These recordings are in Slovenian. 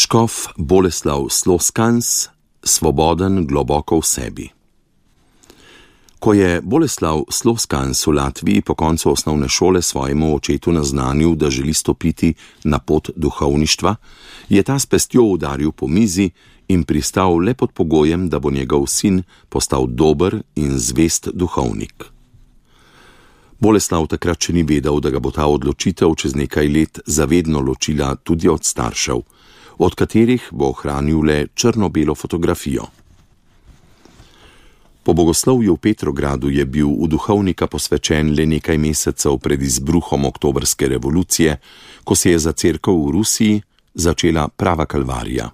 Škof Boleslav Sloskans, svoboden globoko v sebi. Ko je Boleslav Sloskans v Latviji po koncu osnovne šole svojemu očetu naznanil, da želi stopiti na pot duhovništva, je ta s pestjo udaril po mizi in pristal le pod pogojem, da bo njegov sin postal dober in zvest duhovnik. Boleslav takrat še ni vedel, da ga bo ta odločitev čez nekaj let zavedno ločila tudi od staršev, od katerih bo ohranil le črno-belo fotografijo. Po bogoslovju v Petrogradu je bil v duhovnika posvečen le nekaj mesecev pred izbruhom oktobrske revolucije, ko se je za cerkev v Rusiji začela prava kalvarija.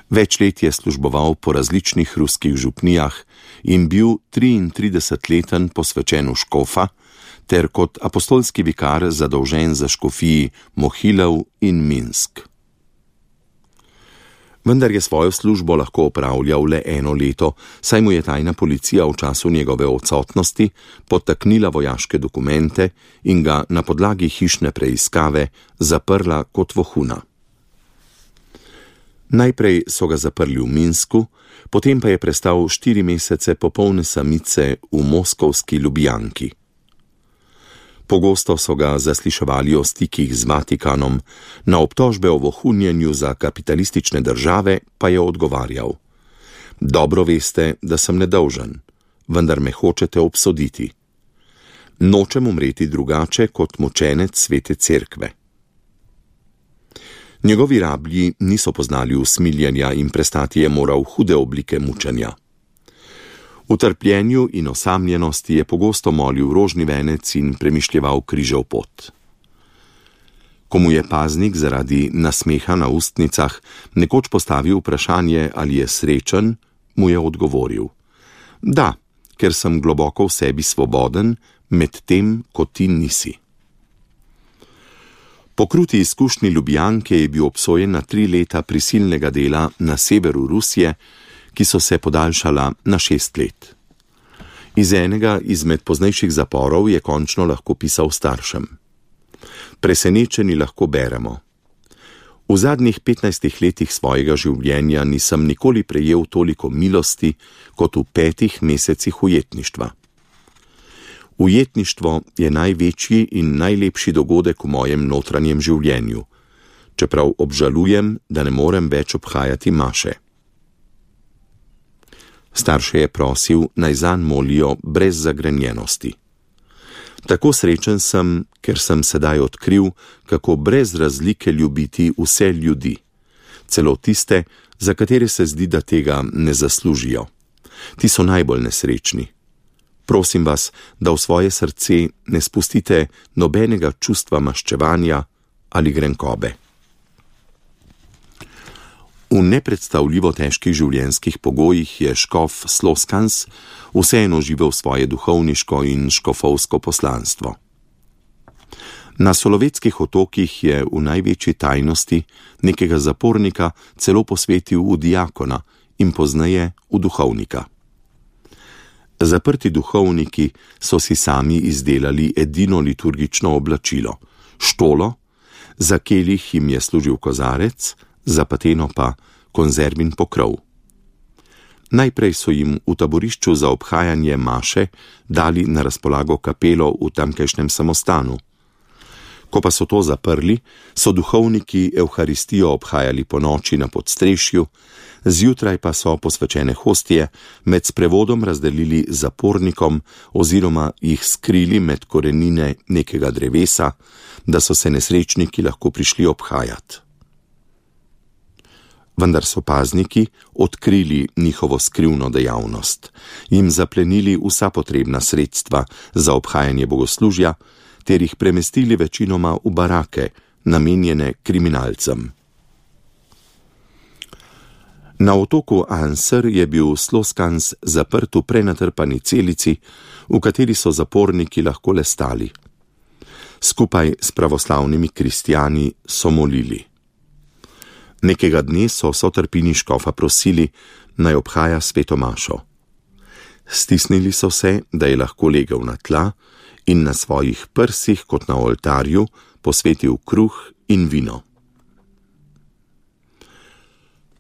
Več let je služboval po različnih ruskih župnijah in bil 33-leten posvečen v škofa, ter kot apostolski vikar zadolžen za škofiji Mohilov in Minsk. Vendar je svojo službo lahko opravljal le 1 leto, saj mu je tajna policija v času njegove odsotnosti podtaknila vojaške dokumente in ga na podlagi hišne preiskave zaprla kot vohuna. Najprej so ga zaprli v Minsku, potem pa je prestal 4 mesece popolne samice v moskovski Ljubljanki. Pogosto so ga zasliševali o stikih z Vatikanom, na obtožbe o vohunjenju za kapitalistične države pa je odgovarjal: "Dobro veste, da sem nedolžen, vendar me hočete obsoditi. Nočem umreti drugače kot mučenec svete cerkve." Njegovi rablji niso poznali usmiljenja in prestati je moral hude oblike mučenja. V trpljenju in osamljenosti je pogosto molil rožni venec in premišljeval križev pot. Ko mu je paznik zaradi nasmeha na ustnicah nekoč postavil vprašanje, ali je srečen, mu je odgovoril: "Da, ker sem globoko v sebi svoboden, medtem ko ti nisi." Po kruti izkušnji Ljubljanke je bil obsojen na 3 leta prisilnega dela na severu Rusije, ki so se podaljšala na 6 let. Iz enega izmed poznejših zaporov je končno lahko pisal staršem: "Presenečeni lahko beremo: V zadnjih 15 letih svojega življenja nisem nikoli prejel toliko milosti kot v 5 mesecih ujetništva. Ujetništvo je največji in najlepši dogodek v mojem notranjem življenju, čeprav obžalujem, da ne morem več obhajati maše." Starše je prosil, naj zanj molijo brez zagrenjenosti. "Tako srečen sem, ker sem sedaj odkril, kako brez razlike ljubiti vse ljudi, celo tiste, za katere se zdi, da tega ne zaslužijo. Ti so najbolj nesrečni. Prosim vas, da v svoje srce ne spustite nobenega čustva maščevanja ali grenkobe." V nepredstavljivo težkih življenjskih pogojih je škof Sloskans vseeno živel svoje duhovniško in škofovsko poslanstvo. Na Solovetskih otokih je v največji tajnosti nekega zapornika celo posvetil v diakona in pozneje v duhovnika. Zaprti duhovniki so si sami izdelali edino liturgično oblačilo, štolo, za kelih jim je služil kozarec, za pateno pa konzervin pokrov. Najprej so jim v taborišču za obhajanje maše dali na razpolago kapelo v tamkajšnjem samostanu. Ko pa so to zaprli, so duhovniki evharistijo obhajali ponoči na podstrešju, zjutraj pa so posvečene hostije med sprevodom razdelili zapornikom oziroma jih skrili med korenine nekega drevesa, da so se nesrečniki lahko prišli obhajati. Vendar so pazniki odkrili njihovo skrivno dejavnost, jim zaplenili vsa potrebna sredstva za obhajanje bogoslužja ter jih premestili večinoma v barake, namenjene kriminalcem. Na otoku Anser je bil Sloskans zaprt v prenatrpani celici, v kateri so zaporniki lahko le stali. Skupaj s pravoslavnimi kristjani so molili. Nekega dne so sotrpini škofa prosili, naj obhaja sveto mašo. Stisnili so se, da je lahko legel na tla in na svojih prsih kot na oltarju posvetil kruh in vino.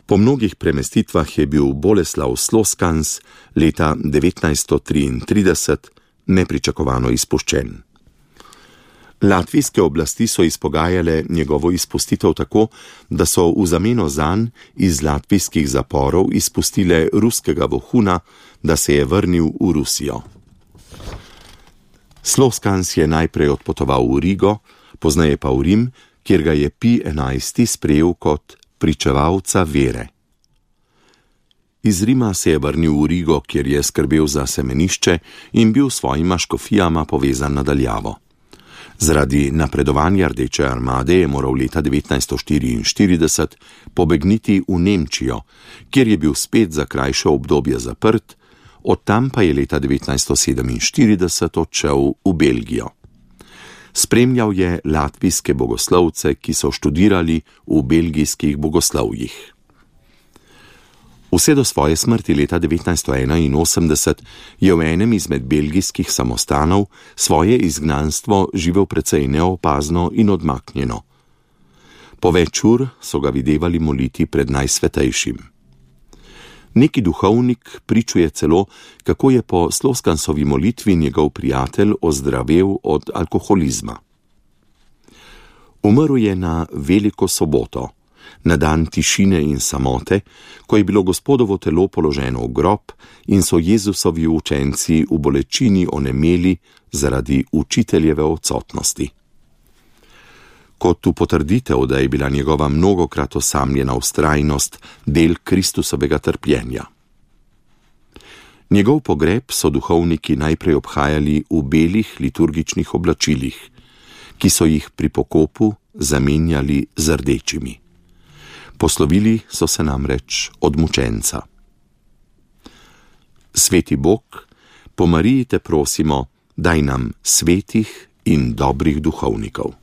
Po mnogih premestitvah je bil Boleslav Sloskans leta 1933 nepričakovano izpuščen. Latvijske oblasti so izpogajale njegovo izpustitev tako, da so v zameno zanj iz latvijskih zaporov izpustile ruskega vohuna, da se je vrnil v Rusijo. Sloskans je najprej odpotoval v Rigo, pozneje pa v Rim, kjer ga je Pij XI sprejel kot pričevalca vere. Iz Rima se je vrnil v Rigo, kjer je skrbel za semenišče in bil s svojima škofijama povezan nadaljavo. Zaradi napredovanja Rdeče armade je moral leta 1944 pobegniti v Nemčijo, kjer je bil spet za krajše obdobje zaprt, od tam pa je leta 1947 odšel v Belgijo. Spremljal je latvijske bogoslovce, ki so študirali v belgijskih bogoslovjih. Vse do svoje smrti leta 1981 je v enem izmed belgijskih samostanov svoje izgnanstvo živel precej neopazno in odmaknjeno. Po več ur so ga videvali moliti pred Najsvetejšim. Neki duhovnik pričuje celo, kako je po Sloskansovi molitvi njegov prijatelj ozdravel od alkoholizma. Umrl je na Veliko soboto, na dan tišine in samote, ko je bilo Gospodovo telo položeno v grob in so Jezusovi učenci v bolečini onemeli zaradi učiteljeve odsotnosti. Kot v potrditev, da je bila njegova mnogokrat osamljena vztrajnost del Kristusovega trpljenja. Njegov pogreb so duhovniki najprej obhajali v belih liturgičnih oblačilih, ki so jih pri pokopu zamenjali z rdečimi. Poslovili so se namreč od mučenca. Sveti Bog, po Mariji te prosimo, daj nam svetih in dobrih duhovnikov.